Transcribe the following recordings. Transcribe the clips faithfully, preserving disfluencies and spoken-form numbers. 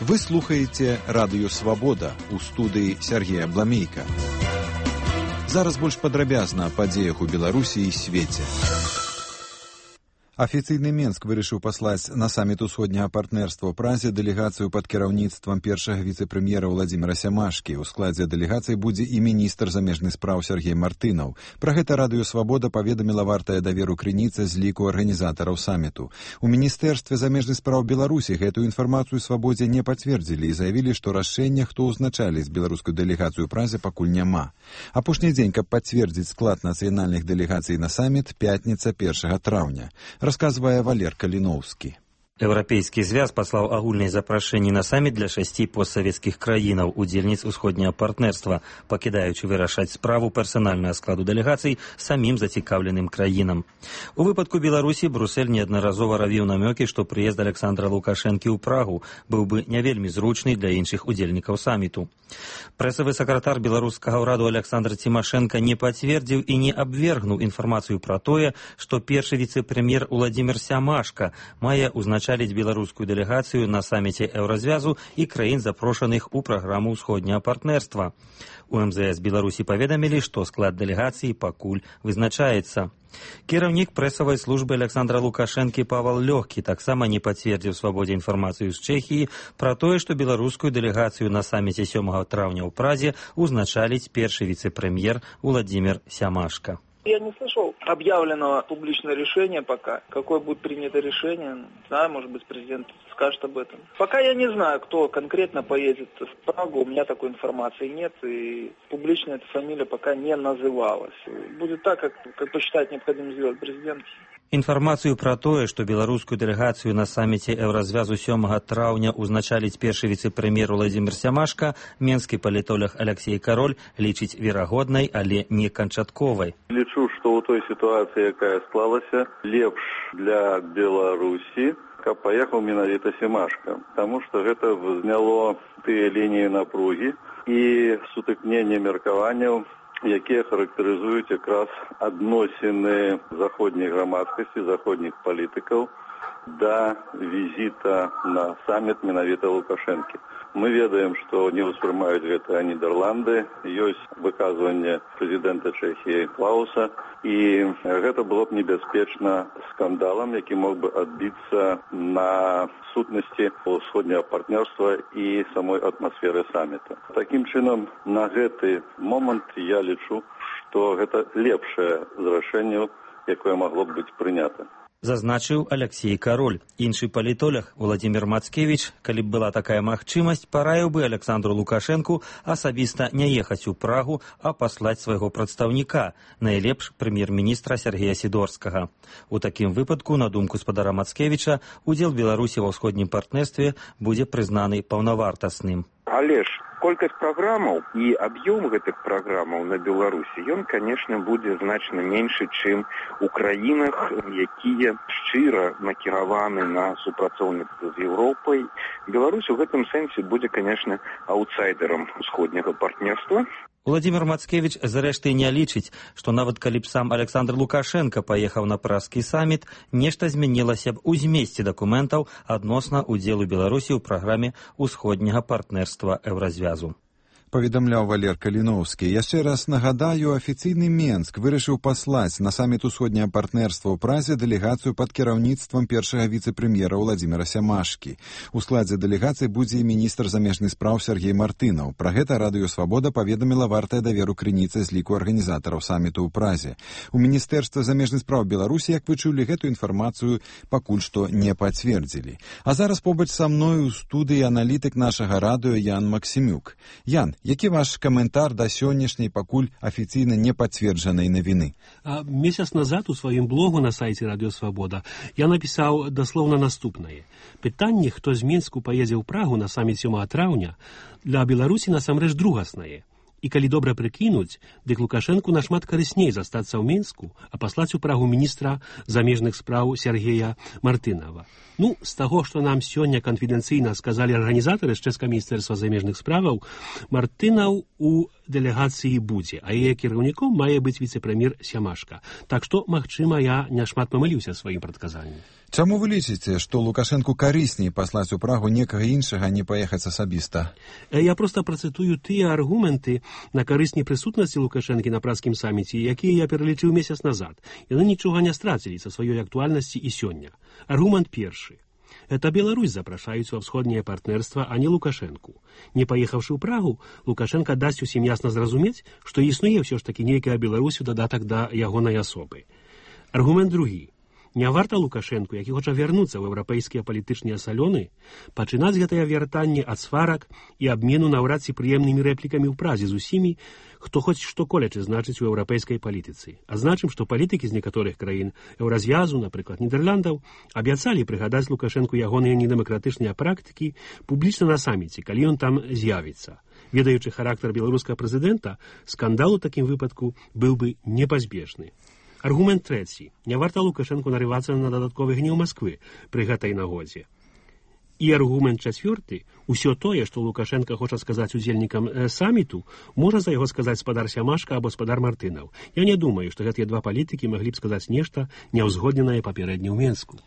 Вы слухаеце радыё «Свабода» у студыі Сергея Бламейка. Зараз больш падрабязна о падзеях у Беларусі і свеце. Афіцыйны Менск вырашыў паслаць на саміт усходняга партнерства ў Празе дэлегацыю пад кіраўніцтвам першага віцэ-прэм'ера Владзіміра Сямашкі. У складзе дэлегацыі будзе і міністр замежных спраў Сергей Мартынаў. Пра гэта радыё «Свабода» паведаміла вартая даверу крыніца з ліку арганізатараў саміту. У міністэрстве замежных спраў Беларусі гэтую інфармацыю «Свабодзе» не пацвердзілі і заявілі, што рашэння, хто ўзначаліць беларускую дэлегацыю ў Празе, пакуль няма. Апошні дзень, каб пацвердзіць склад нацыянальных дэлегацый на саміт, пятніца першага траўня. Расказвае Валер Каліноўскі. Еўрапейскі звяз паслаў агульныя запрашэнні на саміт для шасці постсавецкіх краінаў, удзельніц усходняга партнерства, пакідаючы вырашаць справу персанальнага складу дэлегацый самім зацікаўленым краінам. У выпадку Беларусі Брусэль неаднаразова равіў намёкі, што прыезд Александра Лукашэнкі ў Прагу быў бы не вельмі зручны для іншых удзельнікаў саміту. Прэсавы сакратар беларускага ўраду Александр Цімашэнка не пацвердзіў і не абвергнуў інфармацыю пра тое, што першы віцэ-прэм'ер Владзімір Сямашка мае ўзначаць беларускую дэлегацыю на саміце Еўразвязу і краін, запрошаных у праграму ўсходняга партнерства. У эм зэ эс Беларусі паведамілі, што склад дэлегацыі пакуль вызначаецца. Кіраўнік прэсавай службы Александра Лукашэнкі Павал Лёгкі таксама не пацвердзіў «Свабодзе» інфармацыю з Чэхіі пра тое, што беларускую дэлегацыю на саміце сёмага траўня ў Празе ўзначаліць першы віцэ-прэм'ер Владзімір Сямашка. Я не слышал объявленного публичного решения пока. Какое будет принято решение, не знаю, может быть, президент скажет об этом. Пока я не знаю, кто конкретно поедет в Прагу, у меня такой информации нет, и публично эта фамилия пока не называлась. Будет так, как, как посчитает необходимо сделать президент. Інфармацыю пра тое, што беларускую дэлегацыю на саміце Еўразвязу сёмага траўня ўзначаліць першы віцэ-прэм'ер Владзімір Сямашка, менскі палітолог Алексей Кароль лічыць верагоднай, але не канчатковай. Лічу, што ў той сітуацыі, якая склалася, лепш для Беларусі, каб паехаў менавіта Сямашка, таму што гэта зняло тыя лініі напругі і сутыкнення меркаванняў, якія характарызуюць якраз адносіны заходняй грамадскасці, заходніх палітыкаў да візіта на саміт менавіта Лукашэнкі. Мы ведаем, што не ўспрымаюць гэта Нідерланды, ёсць выказванне прэзідэнта Чэхіі Клауса, і гэта было б небяспечна скандалам, які мог бы адбіцца на сутнасці ўсходняга партнерства і самой атмасферы саміта. Такім чынам, на гэты момант я лічу, што гэта лепшае з рашэнняў, якое магло б быць прынята. Зазначыў Алексей Кароль. Іншы палітолог Владзімір Мацкевіч, калі б была такая магчымасць, параіў бы Александру Лукашэнку асабіста не ехаць у Прагу, а паслаць свайго прадстаўніка, найлепш прэм'ер-міністра Сергея Сідорскага. У такім выпадку, на думку спадара Мацкевіча, удзел Беларусі ва ўсходнім партнерстве будзе прызнаны паўнавартасным. Але ж колькасць праграмаў і аб'ём гэтых праграмаў на Беларусі, ён, канешне, будзе значна меншы, чым у краінах, якія шчыра накіраваны на супрацоўніцтва з Еўропай. Беларусь у гэтым сэнсе будзе, канешне, аўтсайдерам усходняга партнерства. Владзімір Мацкевіч, зрэшты, не лічыць, што нават калі б сам Александр Лукашэнка паехаў на празкі саміт, нешта змянілася б у змесце дакументаў адносна ўдзелу Беларусі ў праграме ўсходняга партнерства Еўразвязу. Паведамляў Валер Каліноўскі. Яшчэ раз нагадаю, афіцыйны Менск вырашыў паслаць на саміт усходняга партнерства ў Празе дэлегацыю пад кіраўніцтвам першага віцэ-прэм'ера Владзіміра Сямашкі. У складзе дэлегацыі будзе і міністр замежных спраў Сергей Мартынаў. Пра гэта радыё «Свабода» паведаміла вартая даверу крыніца з ліку арганізатараў саміту ў Празе. У міністэрстве замежных спраў Беларусі, як вы чулі, гэту інфармацыю пакуль што не пацвердзілі. А зараз побач са мною ў студыі аналітык нашага радыё Ян Максімюк. Ян, які ваш каментар да сённяшняй пакуль афіцыйна не пацверджанай навіны? А, месяц назад у сваім блогу на сайце радыё «Свабода» я напісаў даслоўна наступнае. Пытанне, хто з Мінску паедзе ў Прагу на саміт сёмага траўня, для Беларусі насамрэч другаснае. І калі добра прыкінуць, дык Лукашэнку нашмат карысней застацца ў Мінску, а паслаць у Прагу міністра замежных спраў Сергея Мартынава. Ну, з таго, што нам сёння канфідэнцыйна сказалі арганізатары з чэшскага міністэрства замежных справаў, Мартынаў у дэлегацыі будзе, а яе кіраўніком мае быць віцэ-прэм'ер Сямашка. Так што, магчыма, я няшмат памыліўся сваім прадказаннем. Чаму вы лічыце, што Лукашэнку карысней паслаць у Прагу некага іншага, а не паехаць асабіста? Я проста працытую тыя аргументы на карысней прысутнасці Лукашэнкі на пражскім саміце, якія я пералічыў месяц назад. Яны нічога не страцілі са сваёй актуальнасці і сёння. Аргумент першы. Это Беларусь запрашаюць ва ўсходняе партнерства, а не Лукашэнку. Не паехаўшы ў Прагу, Лукашэнка дасць усім ясна зразумець, што існуе ўсё ж такі нейкая Беларусь у дадатак да ягонай асобы. Аргумент другі. Не варта Лукашэнку, які хоча вярнуцца ў еўрапейскія палітычныя салёны, пачынаць гэтае вяртанне ад сварак і абмену наўрад ці прыемнымі рэплікамі ў Празе з усімі, хто хоць што колечы значыць у еўрапейскай палітыцы. Адзначым, што палітыкі з некаторых краін еўразвязу, напрыклад, Нідерландаў, абяцалі прыгадаць Лукашэнку ягоныя недэмакратычныя практыкі публічна на саміце, калі ён там з'явіцца. Ведаючы характар беларускага прэзідэнта, скандал у такім выпадку быў бы непазбежны. Аргумент трэці. Не варта Лукашэнку нарывацца на дадатковы гнеў Масквы пры гэтай нагодзе. І аргумент чацвёрты. Усё тое, што Лукашэнка хоча сказаць удзельнікам э, саміту, можа за яго сказаць спадар Сямашка або спадар Мартынаў. Я не думаю, што гэтыя два палітыкі маглі б сказаць нешта няўзгодненае папярэдне ў Менску.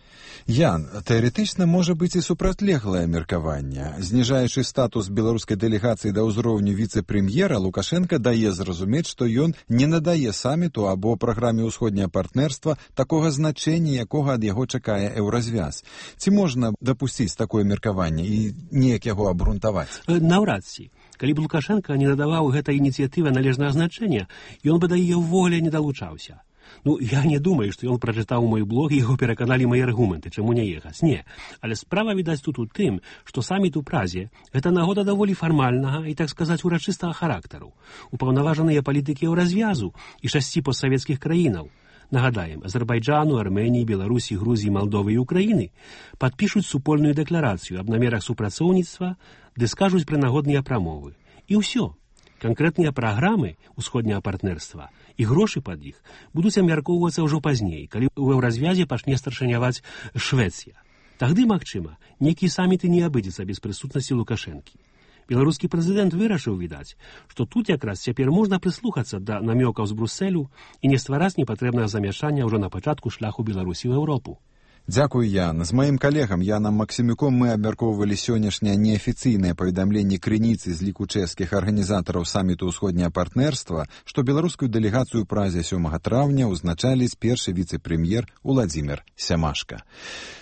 Ян, тэарэтычна можа быць і супрацьлеглае меркаванне. Зніжаючы статус беларускай дэлегацыі да ўзроўню віцэ-прэм'ера, Лукашэнка дае зразумець, што ён не надае саміту або праграме ўсходняе партнерства такога значэння, якога ад яго чакае еўразвяз. Ці можна дапусціць такое меркаванне і неяк яго абгрунтаваць? Наўрад ці. Калі б Лукашэнка не надаваў гэтай ініцыятыве належнага значэння, ён бы да яе ўвогуле не далучаўся. Ну, я не думаю, што ён прачытаў мой блог і яго пераканалі мае аргументы, чаму не ехаць. Не. Але справа, відаць, тут у тым, што саміт у Празе – гэта нагода даволі фармальнага і, так сказаць, урачыстага характару. Упаўнаважаныя палітыкі еўразвязу і шасці постсавецкіх краінаў, нагадаем, Азербайджану, Арменіі, Беларусі, Грузіі, Малдовы і Украіны падпішуць супольную дэкларацыю аб намерах супрацоўніцтва, ды скажуць прынагодныя прамовы. І ўсё. Канкрэтныя праграмы ўсходняга партнерства і грошы пад іх будуць абмяркоўвацца ўжо пазней, калі ў еўразвязе пачне старшыняваць Швецыя. Тагды, магчыма, нейкі саміт і не абыдзецца без прысутнасці Лукашэнкі. Беларускі прэзідэнт вырашыў, відаць, што тут якраз цяпер можна прыслухацца да намёкаў з Брусэлю і не ствараць непатрэбнага замяшання ўжо на пачатку шляху Беларусі ў Еўропу. Дзякуй, Ян. З маім калегам Янам Максімюком мы абмяркоўвалі сённяшняе неафіцыйнае паведамленне крыніцы з ліку чэшскіх арганізатараў саміту ўсходняе партнерства, што беларускую дэлегацыю ў Празе сёмага траўня ўзначаліць першы віцэ-прэм'ер Уладзімір Сямашка.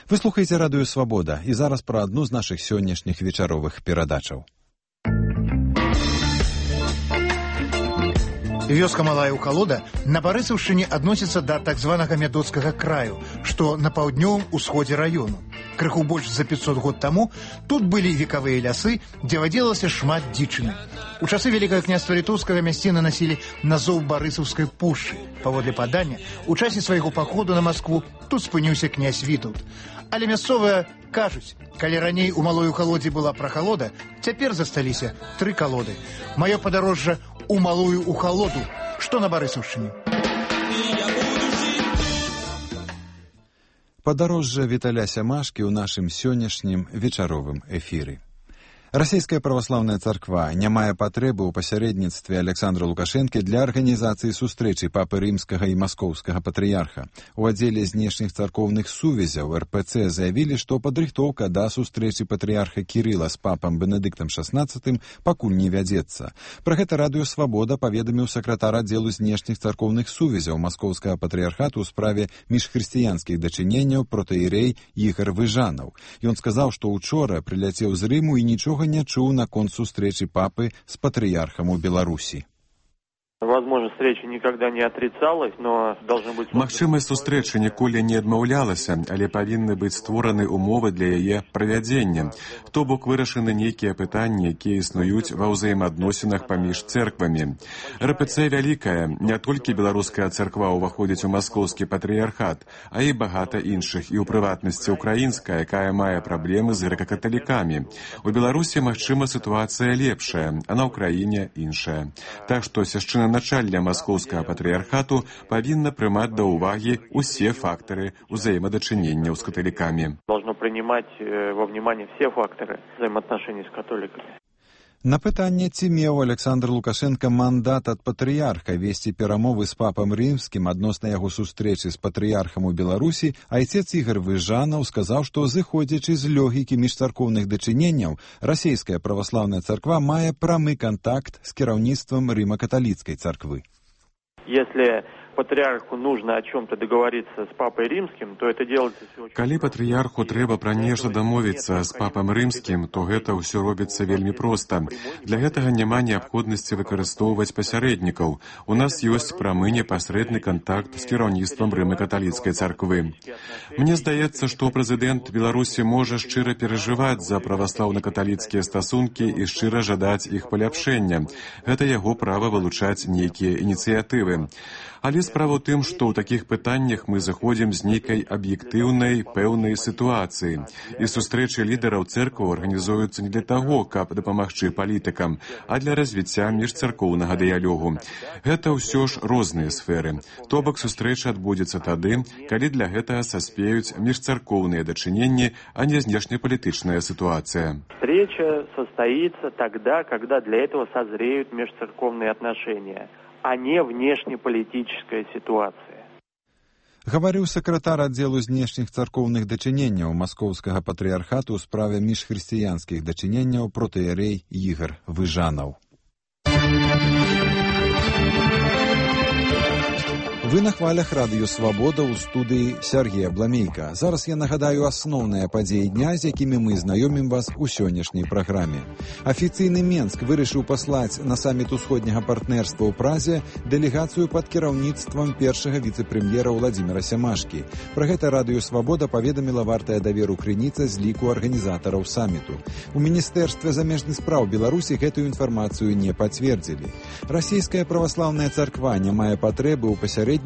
Вы слухаеце радыё Свабода, і зараз пра адну з нашых сённяшніх вечаровых перадачаў. Вёска Малая Ухалода на Барысаўшчыне адносіцца да так званага мядоцкага краю, што на паўднёвым усходзе раёну. Крыху больш за пятьсот год таму тут былі векавыя лясы, дзе вадзілася шмат дзічыны. У часы Вялікага княства літоўскага мясціны насілі назоў Барысаўскай пушчы. Паводле падання, у часе свайго паходу на Маскву тут спыніўся князь Вітаўт. Але мясцовыя кажуць, калі раней у Малой Ухалодзе была прахалода, цяпер засталіся тры калоды. Маё падарожжа у Малую Ухалоду, што на Барысаўшчыне. Падарожжа Віталя Сямашкі ў нашым сённяшнім вечаровым эфіры. Расійская праваслаўная царква не мае патрэбы ў пасярэдніцтве Александра Лукашэнкі для арганізацыі сустрэчы папы рымскага і маскоўскага патрыярха. У аддзеле знешніх царкоўных сувязяў эр пэ цэ заявілі, што падрыхтоўка да сустрэчы патрыярха Кірыла з папам Бенедыктам шаснаццатым пакуль не вядзецца. Пра гэта радыё Свабода паведаміў сакратар аддзелу знешніх царкоўных сувязяў маскоўскага патрыярхату ў справе міжхрысціянскіх дачыненняў протаірей Ігар Выжанаў. Ён сказаў, што учора прыляцеў з Рыму і нічога не чуў наконт сустрэчы папы з патрыярхам у Беларусі. Возможно, встреча никогда не отрицалась, но должны быть... Магчымасць сустрэчы ніколі не адмаўлялася, але павінны быць створаны умовы для яе правядзення. То бок вырашаны нейкія пытанні, якія існуюць ва ўзаемаадносінах паміж цэрквамі. эр пэ цэ вялікая, не толькі беларуская царква ўваходзіць у маскоўскі патрыярхат, а і багата іншых, і ў прыватнасці украінская, якая мае праблемы з грэка-каталікамі. У Беларусі, магчыма, сітуацыя лепшая, а на Ўкраіне іншая. Так што свяшчэнна начальня маскоўскага патрыярхату павінна прымаць да ўвагі усе фактары ўзаемадачыненняў з каталікамі. Должно принимать во внимание все факторы взаимоотношений с католиками. На пытанне, ці меў Александр Лукашенко мандат ад патрыярха весці перамовы з папам рымскім адносна яго сустрэчы з патрыярхам у Беларусі, айцец Ігор Выжанаў сказаў, што, зыходзячы з логікі міжцаркоўных дачыненняў, расійская праваслаўная царква мае прамы контакт з кіраўніцтвам рыма-каталіцкай царквы. Если патриарху нужно о чем-то договориться с папой римским, то это делается все очень... Калі патрыярху трэба пра нешта дамовіцца з папам рымскім, то гэта ўсё робіцца вельмі проста. Для гэтага няма неабходнасці выкарыстоўваць пасярэднікаў. У нас ёсць прамы непасрэдны кантакт з кіраўніцтвам рыма-каталіцкай царквы. Мне здаецца, што прэзідэнт Беларусі можа шчыра перажываць за праваслаўна-каталіцкія стасункі і шчыра жадаць іх паляпшэння. Гэта яго права вылучаць нейкія ініцыятывы. Але справа ў тым, што ў такіх пытаннях мы заходзім з нейкай аб'ектыўнай, пэўнай сітуацыі. І сустрэчы лідараў цэркваў арганізуюцца не для таго, каб дапамагчы палітыкам, а для развіцця міжцаркоўнага дыялогу. Гэта ўсё ж розныя сферы. То бок сустрэча адбудзецца тады, калі для гэтага саспеюць міжцаркоўныя дачыненні, а не знешнепалітычная сітуацыя. Встреча состоится тогда, когда для этого созреют межцерковные отношения, а не внешнеполитическая ситуация. Гаварыў сакратар аддзелу знешніх царкоўных дачыненняў Маскоўскага патрыярхату ў справе міжхрысціянскіх дачыненняў протыерей Ігор Выжанаў. Вы на хвалях радыё «Свабода» ў студыі Сергея Бламейка. Зараз я нагадаю асноўныя падзеі дня, з якімі мы знаёмім вас у сённяшняй праграме. Афіцыйны Менск вырашыў паслаць на саміт усходняга партнерства ў Празе дэлегацыю пад кіраўніцтвам першага віцэ-прэм'ера Владзіміра Сямашкі. Пра гэта радыё «Свабода» паведаміла вартая даверу крыніца з ліку арганізатараў саміту. У Міністэрстве замежных спраў Беларусі гэтую інфармацыю не пацвердзілі. Расійская праваслаўная царква не мае патрэбы ў пасярэдніцтве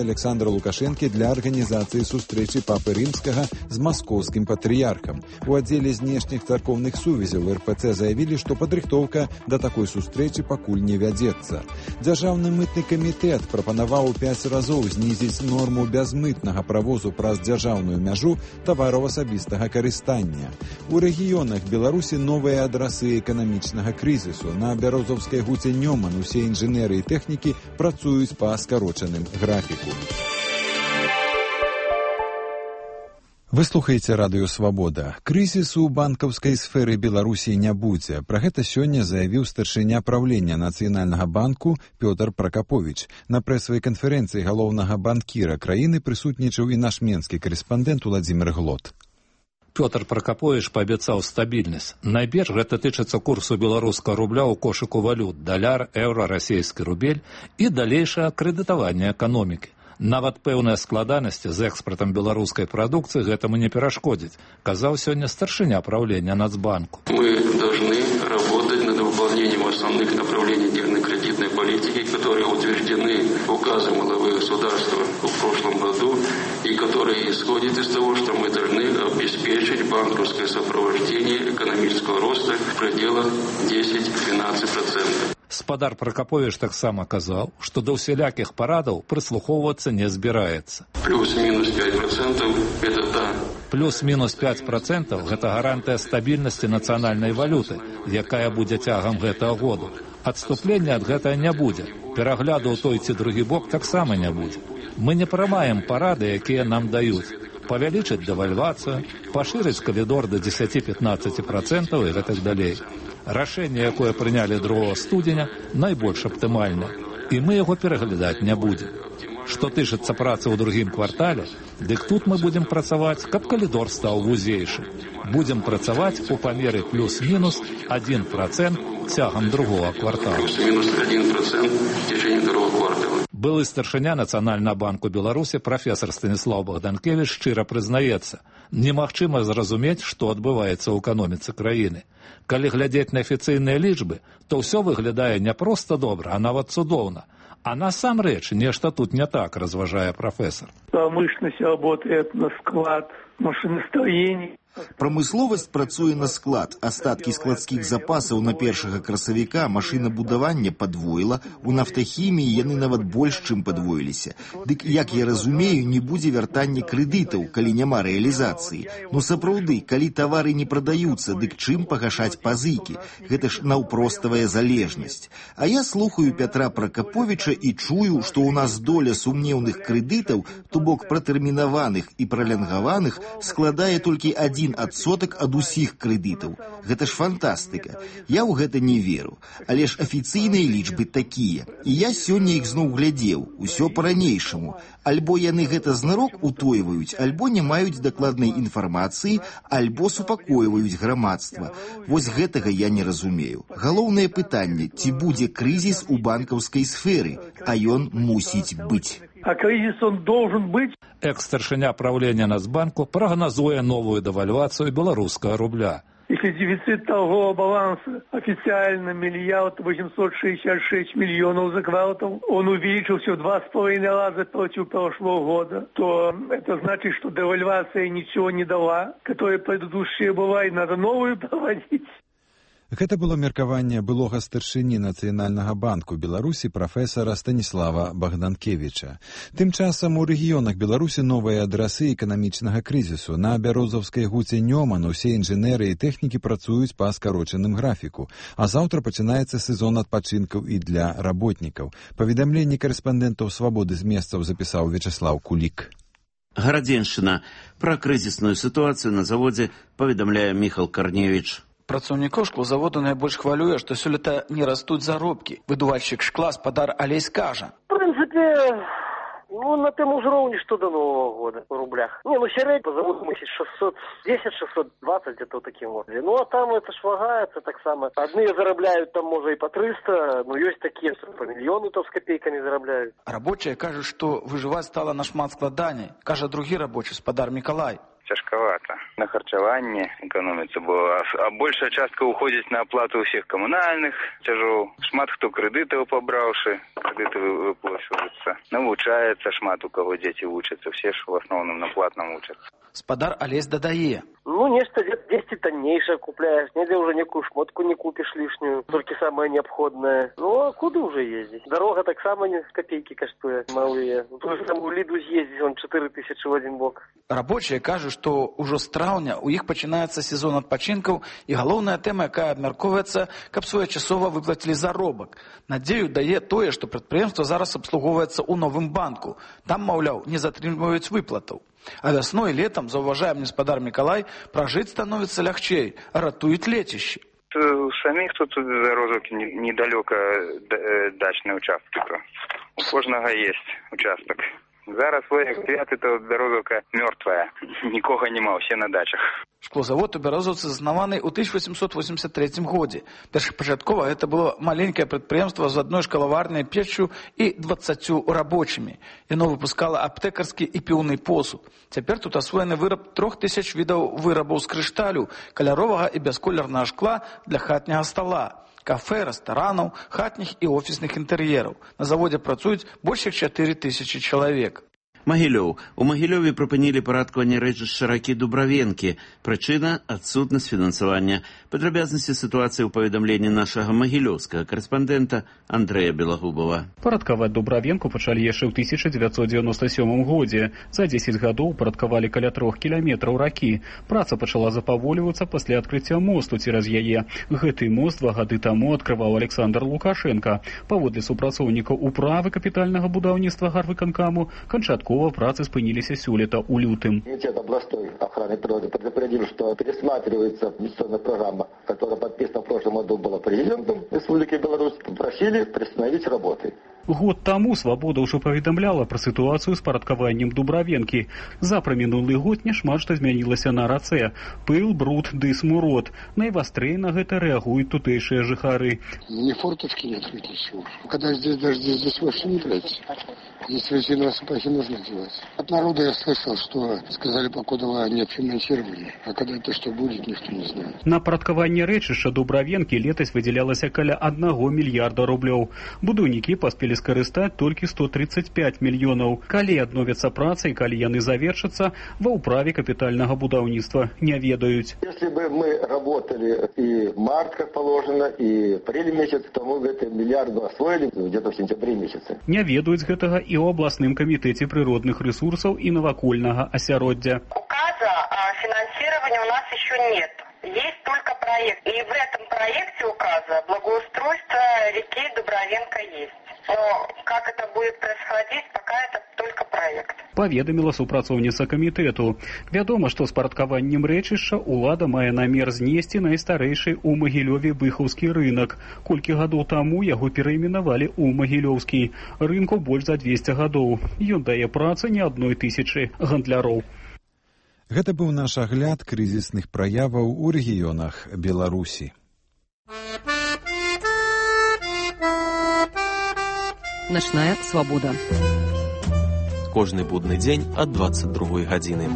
Александра Лукашенко для арганізацыі сустрэчы папы рымскага з маскоўскім патрыярхам. У аддзеле знешніх царкоўных сувязяў эр пэ цэ заявілі, што падрыхтоўка да такой сустрэчы пакуль не вядзецца. Дзяржаўны мытны камітэт прапанаваў у пяць разоў знізіць норму бязмытнага правозу праз дзяржаўную мяжу тавараў асабістага карыстання. У рэгіёнах Беларусі новыя адрасы эканамічнага крызісу. На бярозаўскай гуце Нёман усе інжынеры і тэхнікі працуюць па скарочаным графіку. Вы слухаеце радыё «Свабода». Крызісу ў банкаўскай сферы Беларусі не будзе. Пра гэта сёння заявіў старшыня правлення Нацыянальнага банку Пётр Пракаповіч. На прэсавай канферэнцыі галоўнага банкіра краіны прысутнічаў і наш менскі карэспандэнт Уладзімір Глот. Пётр Пракаповіч паабяцаў стабільнасць. Найперш гэта тычыцца курсу беларускага рубля ў кошыку валют даляр, еўра, расійскі рубель і далейшае крэдытаванне эканомікі. Нават пэўныя складанасці з экспартам беларускай прадукцыі гэтаму не перашкодзіць, казаў сёння старшыня правлення Нацбанку. Мы должны работать над выполнением основных направлений денежно-кредитной политики, которые утверждены указом главы государства в прошлом году и которые исходят из того, что мы должны обеспечить банковское сопровождение экономического роста в пределах десять-двенадцать процентов. Спадар Пракаповіч таксама казаў, што да ўсялякіх парадаў прыслухоўвацца не збіраецца. Плюс-мінус пять процентов – это та. Плюс-мінус пять процентов – гэта гарантыя стабільнасці нацыянальнай валюты, якая будзе цягам гэтага году. Адступлення ад гэтага не будзе. Перагляду ў той ці другі бок таксама не будзе. Мы не прымаем парады, якія нам даюць. Павялічыць дэвальвацыю, пашырыць калідор да дзесяць-пятнаццаць процентов і гэтак далей. Рашэнне, якое прынялі другога студзеня, найбольш аптымальнае, і мы яго пераглядаць не будзем. Што тычыцца працы ў другім квартале, дык тут мы будзем працаваць, каб калідор стаў вузейшы. Будзем працаваць у памеры плюс-мінус адзін процент цягам другога квартала. Плюс-мінус адзін процент в течение другого квартала. Былы старшыня Нацыянальнага банку Беларусі прафесар Станіслаў Богданкевіч шчыра прызнаецца, немагчыма зразумець, што адбываецца ў эканоміцы краіны. Калі глядзець на афіцыйныя лічбы, то ўсё выглядае не проста добра, а нават цудоўна. А насамрэч нешта тут не так, разважае прафесор. Промышленность работает на склад, машиностроение. Прамысловасць працуе на склад. Астаткі складскіх запасаў на першага красавіка машынабудавання падвоіла, у нафтахіміі яны нават больш, чым падвоіліся. Дык, як я разумею, не будзе вяртання крэдытаў, калі няма рэалізацыі. Ну сапраўды, калі тавары не прадаюцца, дык чым пагашаць пазыкі? Гэта ж наўпроставая залежнасць. А я слухаю Пятра Пракаповіча і чую, што ў нас доля сумнеўных крэдытаў, то бок пратэрмінаваных і пралянгаваных, складае толькі адзін адсотак ад усіх крэдытаў. Гэта ж фантастыка. Я ў гэта не веру. Але ж афіцыйныя лічбы такія. І я сёння іх зноў глядзеў. Усё па-ранейшаму. Альбо яны гэта знарок утойваюць, альбо не маюць дакладнай інфармацыі, альбо супакойваюць грамадства. Вось гэтага я не разумею. Галоўнае пытанне, ці будзе крызіс у банкаўскай сферы, а ён мусіць быць. А кризис он должен быть. Экс-старшыня правлення Нацбанку прагназуе новую дэвальвацыю беларускага рубля. Если дефицит торгового баланса официально миллиард восемьсот шестьдесят шесть миллионов за квартал, он увеличился в два с половиной раза против прошлого года, то это значит, что девальвация ничего не дала, которая предыдущая была, и надо новую проводить. Гэта было меркаванне былога старшыні Нацыянальнага банку Беларусі прафесара Станіслава Богданкевіча. Тым часам у рэгіёнах Беларусі новыя адрасы эканамічнага крызісу. На Бярозаўскай гуце Нёман усе інжынеры і тэхнікі працуюць па скарочаным графіку. А заўтра пачынаецца сезон адпачынкаў і для работнікаў. Паведамленні карэспандэнтаў «Свабоды» з месцаў запісаў Вячаслаў Кулік. Гарадзеншчына. Пра крызісную сітуацыю на заводзе паведамляе Міхал Карневіч. Працаўнікоў шклозаводу найбольш хвалюе, што сёлета не растуць заробкі. Выдувальшчык шкла Спадар Алесь кажа. В принципе, ну, на тем же уровне, что до Нового года в рублях. Не, ну, середний по заводу мусить шестьсот десять шестьсот двадцать где-то таким вот. Ну, а там это ж вагается так само. Одни зарабляют там, может, и по триста, но есть такие, что по миллиону то с копейками зарабляют. Рабочие кажут, что выживать стало нашмат складаней. Кажа другі рабочий, Спадар Миколай. Цяжкавата. На харчаванне эканоміцца, бо а большая частка уходзіць на аплату ўсіх камунальных цяжоў. Шмат хто крэдытаў пабраўшы, крэдыты выплачваюцца. Навучаецца шмат у каго дзеці вучацца, все ж в асноўным на платным вучацца. Спадар Алесь дадае. Ну, нечто десять тоннейшее купляешь, нигде уже некую шмотку не купишь лишнюю, только самое необходное. Ну, а куда уже ездить? Дорога так само не копейки коштует, малые. То же самое в Лиду съездить, он четыре тысячи в один бок. Рабочие кажут, что уже с траўня у іх пачынаецца сезон адпачынкаў, і галоўная тэма, якая абмяркоўваецца, каб своечасова выплацілі заробак. Надзею дае тое, што прадпрыемства зараз абслугоўваецца ў новым банку. Там, маўляў, не затрымліваюць выплатаў. А вясной і летом, заўважае мне Спадар Мікалай, пражыць становіцца лягчэй, ратуюць лецішчы. У самих тут Бярозаўкі недалёка дачныя участкі. У кожнага есть участок. Зараз свой то Бярозаўка мёртвая. Нікога няма, усе на дачах. Шклозавод у Бярозаўцы заснаваны ў тысяча восемьсот восемьдесят третьем годзе. Першапачаткова гэта было маленькае прадпрыемства з адной шкалаварнай печчу і дваццаццю рабочымі. Яно выпускала аптэкарскі і піўны посуд. Цяпер тут асвоены выраб трох тысяч відаў вырабаў з крышталю, каляровага і бясколернага шкла для хатняга стала. Кафе, рэстаранаў, хатніх і офісных інтэр'ераў. На заводзе працуюць больш як чатыры тысячы чалавек. Магілёў. У Магілёве прыпынілі парадкаванне рэчышча ракі Дубравенкі. Прычына – адсутнасць фінансавання. Падрабязнасці сітуацыі ў паведамленні нашага магілёўскага карэспандэнта Андрэя Белагубова. Парадкаваць Дубравенку пачалі яшчэ ў тысяча дзевяцьсот дзевяносто сёмым годзе. За дзесяць гадоў парадкавалі каля трох кіламетраў ракі. Праца пачала запаволівацца пасля адкрыцця мосту цераз яе. Гэты мост два гады таму адкрываў Александр Лукашенко. Паводле супрацоўнікаў управы капітальнага будаўніцтва гарвыканкаму, канчаткова працы спыніліся сёлета ў лютым. Комитет областной охраны природы предупредил, что пересматривается инвестиционная программа, которая подписана в прошлом году была президентом Республики Беларусь. Попросили приостановить работы. Год таму «Свабода» ўжо паведамляла пра сітуацыю з парадкаваннем Дубравенкі. За прамінулы год няшмат што змянілася на рацэ. Пыл, бруд ды смурод. Найвастрэй на гэта рэагуюць тутэйшыя жыхары. Ни форточки нет, ничего. Когда здесь даже здесь, здесь вообще не брать. Здесь резиновые сапоги нужно делать. От народа я слышал, что сказали, покуда нет финансирования. А когда это что будет, никто не знает. На парадкаванне рэчышча Дубравенкі летась выдзялялася каля аднаго мільярда рублёў. Будаўнікі паспелі здолелі скарыстаць толькі сто тридцать пять мільёнаў. Калі адновяцца працы і калі яны завершацца, ва ўправе капітальнага будаўніцтва не ведаюць. Если бы мы работали и март, как положено, и апрель месяц, то мы бы это миллиард освоили где-то в сентябре месяце. Не ведаюць гэтага і ў абласным камітэце прыродных ресурсаў і навакольнага асяроддзя. Указа о финансировании у нас еще нет. Есть только проект. И в этом проекте указа благоустройство реки Дубровенко есть. Но как это будет происходить, пока это только проект. Паведаміла супрацоўніца камітэту. Вядома, што з парадкаваннем рэчышча ўлада мае намер знесці найстарэйшы ў Магілёве быхаўскі рынак. Колькі гадоў таму яго перайменавалі ў Магілёўскі. Рынку больш за двесце гадоў. Ён дае працы не адной тысячы гандляроў. Гэта быў наш агляд крызісных праяваў у рэгіёнах Беларусі. Начная свабода. Кожны будны дзень ад двадцать другой гадзіны.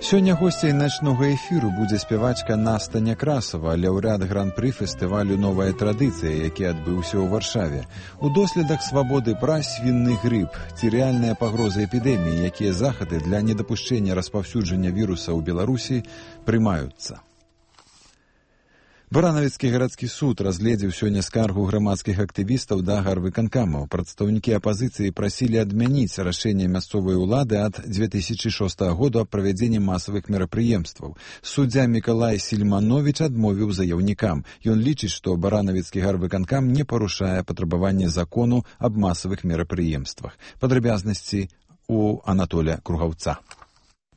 Сёння госцей начнога эфіру будзе спявачка Наста Някрасова, лаўрэат гран-пры фестывалю «Новая традыцыя», які адбыўся ў Варшаве. У доследах свабоды пра свінны грып ці рэальная пагроза эпідэміі, якія захады для недапушчэння распаўсюджання віруса ў Беларусі прымаюцца. Баранавіцкі гарадскі суд разгледзеў сёння скаргу грамадскіх актывістаў да гарвыканкамаў. Прадстаўнікі апазіцыі прасілі адмяніць рашэнне мясцовай улады ад дзве тысячы шостага году аб правядзенні масавых мерапрыемстваў. Суддзя Мікалай Сільмановіч адмовіў заяўнікам. Ён лічыць, што баранавіцкі гарвыканкам не парушае патрабаванні закону аб масавых мерапрыемствах. Падрабязнасці у Анатоля Кругаўца.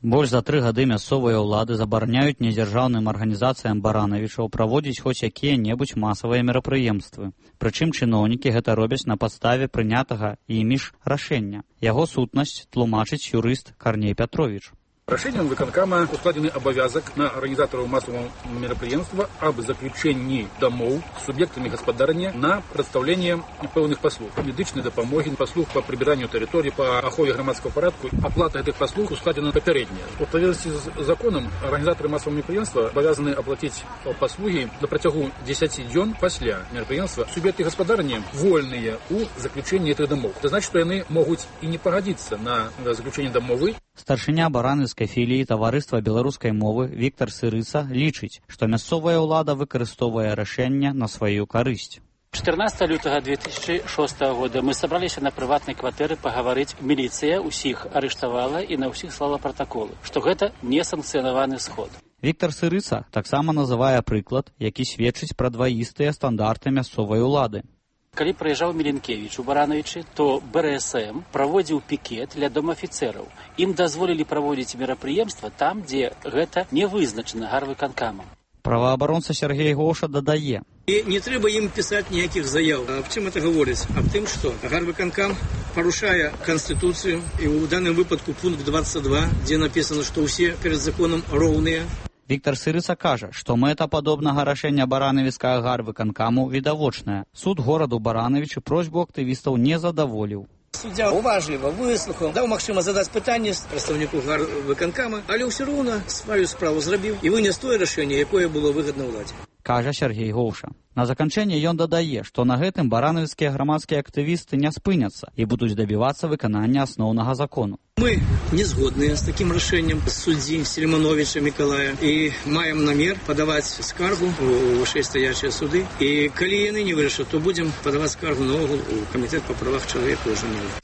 Больш за тры гады мясцовыя ўлады забараняюць недзяржаўным арганізацыям баранавічаў праводзіць хоць якія-небудзь масавыя мерапрыемствы. Прычым чыноўнікі гэта робяць на падставе прынятага імі ж рашэння. Яго сутнасць тлумачыць юрыст Карней Пятрович. Рашением выканкама ускладзены абавязак на арганізатараў масавого мерапрыемства аб заключэнні дамоў з суб'ектамі гаспадарання на прадстаўленне пэўных паслуг, медычнай дапамогі, паслуг па прыбіранню тэрыторыі, па ахове грамадскага парадку. Аплата гэтых паслуг ускладзена папярэдняя. У адпаведнасці з законам арганізатары масавого мерапрыемства абавязаны аплаціць паслугі на працягу дзесяці дзён пасля мерапрыемства. Суб'екты гаспадарання вольныя ў заключэнні гэтых дамоў. Це значыць, што яны могуць і не пагадзіцца на заключэнне дамовы. Старшыня баранаўскай філіі таварыства беларускай мовы Віктар Сырыца лічыць, што мясцовая ўлада выкарыстоўвае рашэнне на сваю карысць. чатырнаццатага лютага две тысячи шостага года мы сабраліся на прыватнай кватэры пагаварыць. Міліцыя ўсіх арыштавала і на ўсіх слала пратаколы, што гэта несанкцыянаваны сход. Віктар Сырыца таксама называе прыклад, які сведчыць пра дваістыя стандарты мясцовай улады. Калі прыязджаў Міленкевіч у Барановичы, то Бэ Рэ Эс Эм праводзіў пікет ля дома афіцэраў. Ім дазволілі праводзіць мерапрыемства там, дзе гэта не вызначана гарвыканкамам. Праваабаронца Сергей Гоша дадае. І не трэба ім пісаць ніякіх заяў. Аб чым это гаворыць? Аб тым, што гарвыканкам парушае Канстытуцыю, і ў даным выпадку пункт двадцать два, дзе напісана, што ўсе перад законам роўныя. Віктар Сырыца кажа, што мэта падобнага рашэння баранавіцкага гарвыканкаму відавочная. Суд гораду Баранавічы просьбу актывістаў не задаволіў. Суддзя уважліва выслухаў, даў магчыма задаць пытанне прадстаўніку гарвыканкама, але ўсё роўна сваю справу зрабіў і вынес тое рашэнне, якое было выгадна ўладзе. Кажа Сергей Гоўша. На заканчэнне ён дадае, што на гэтым баранавіцкія грамадскія актывісты не спыняцца і будуць дабівацца выканання асноўнага закону. Мы не згодныя з такім рашэннем суддзі Сільмановіча Мікалая і маем намер падаваць скаргу ў вышэйстаячыя суды. І калі яны не вырашаць, то будзем падаваць скаргу наогул у камітэт па правах чалавека ў Жэневе.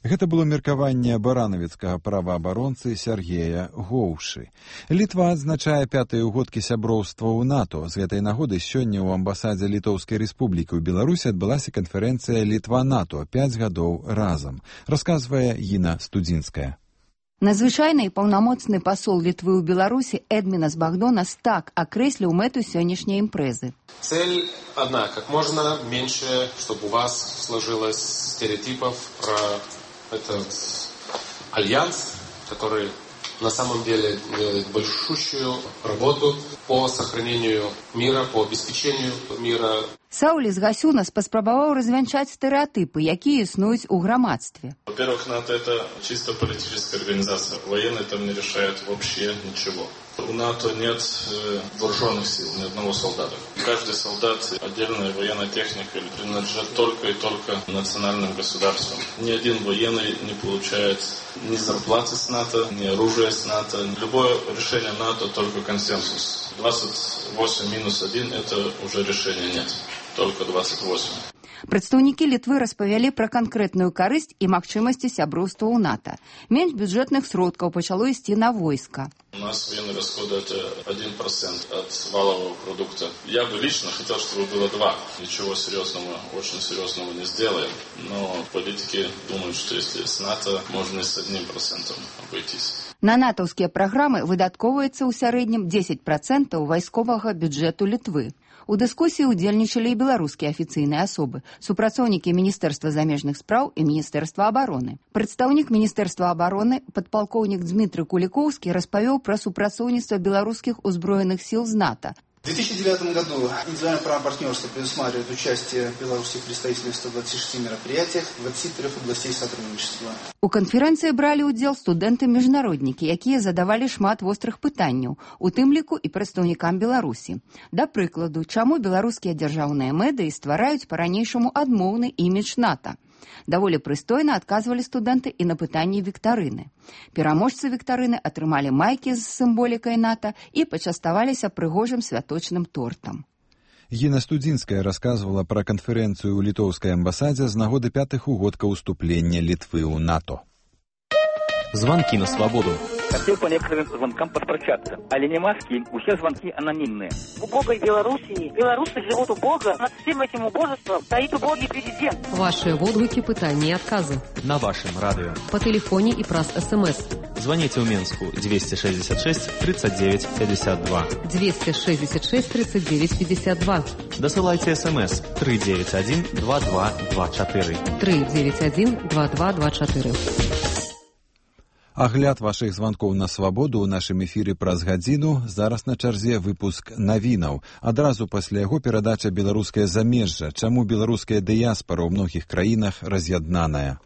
Гэта было меркаванне баранавіцкага праваабаронцы Сергея Гоўшы. Літва адзначае пятыя ўгодкі сяброўства ў НАТО. З гэтай нагоды сёння ў амбасадзе Літоўскай рэспублікі ў Беларусі адбылася канферэнцыя «Літва-НАТО. пяць гадоў разам», расказвае Гіна Студзінская. Надзвычайны і паўнамоцны пасол Літвы ў Беларусі Эдмінас Багдонас так акрэсліў мэту сённяшняй імпрэзы. Цель одна, как можно меньше, чтобы у вас сложилось стереотипов про этот альянс, который на самом деле делает большущую работу по сохранению мира, по обеспечению мира. Сауліс Гасюнас паспрабаваў развянчаць стэрэатыпы, якія існуюць у грамадстве. Во-первых, НАТО — это чисто политическая организация. Военные там не решают вообще ничего. У НАТО нет э, вооруженных сил, ни одного солдата. Каждый солдат отдельная военная техника принадлежит только и только национальным государствам. Ни один военный не получает ни зарплаты с НАТО, ни оружия с НАТО. Любое решение НАТО только консенсус. двадцать восемь минус один это уже решения нет. Только двадцать восемь. Прадстаўнікі Літвы распавялі пра канкрэтную карысць і магчымасці сяброўства ў НАТО. Менш бюджэтных сродкаў пачало ісці на войска. У нас военные расходы это один процент от валового продукта. Я бы лично хотел, чтобы было два. Ничего серьезного, очень серьезного не сделаем. Но политики думают, что если с НАТО, можно и с одним процентом обойтись. На натаўскія праграмы выдаткоўваецца ў сярэднім дзесяць працэнтаў вайсковага бюджэту Літвы. У дыскусіі ўдзельнічалі і беларускія афіцыйныя асобы, супрацоўнікі Міністэрства замежных спраў і Міністэрства абароны. Прадстаўнік Міністэрства абароны, падпалкоўнік Дмітрый Кулікоўскі, распавёў пра супрацоўніцтва беларускіх узброеных сіл з НАТО. В две тысячи девятом году индивидуальное право партнерства предусматривает участие Беларуси в представительстве в ста двадцати шести мероприятиях двадцати трёх областей сотрудничества. У канферэнцыі бралі ўдзел студэнты-міжнароднікі, якія задавалі шмат вострых пытанняў, у тым ліку і прадстаўнікам Беларусі. Да прыкладу, чаму беларускія дзяржаўныя медыі ствараюць па-ранейшаму адмоўны імідж НАТО? Даволі прыстойна адказвалі студэнты і на пытанні віктарыны. Пераможцы віктарыны атрымалі майкі з сімволікай НАТО і пачаставаліся прыгожым святочным тортам. Гіна Студзінская расказвала пра канферэнцыю ў літоўскай амбасадзе з нагоды пятых угодка ўступлення Літвы ў НАТО. Звонки на свободу. Хотел по некоторым звонкам поспрощаться. Але не маски, все звонки анонимные. В убогой Белоруссии белорусы живут убого. Над всем этим убожеством стоит убогий президент. Ваши отклики, пытания и отказы. На вашем радио. По телефоне и праз СМС. Звоните в Минску двести шестьдесят шесть тридцать девять пятьдесят два. двести шестьдесят шесть тридцать девять пятьдесят два. Досылайте СМС три девять один два два два четыре. три девять один два два два четыре. Агляд вашых званкоў на свабоду ў нашым эфіры праз гадзіну. Зараз на чарзе выпуск навінаў. Адразу пасля яго перадача «Беларускае замежжа». Чаму беларуская дыяспара ў многіх краінах раз'яднаная.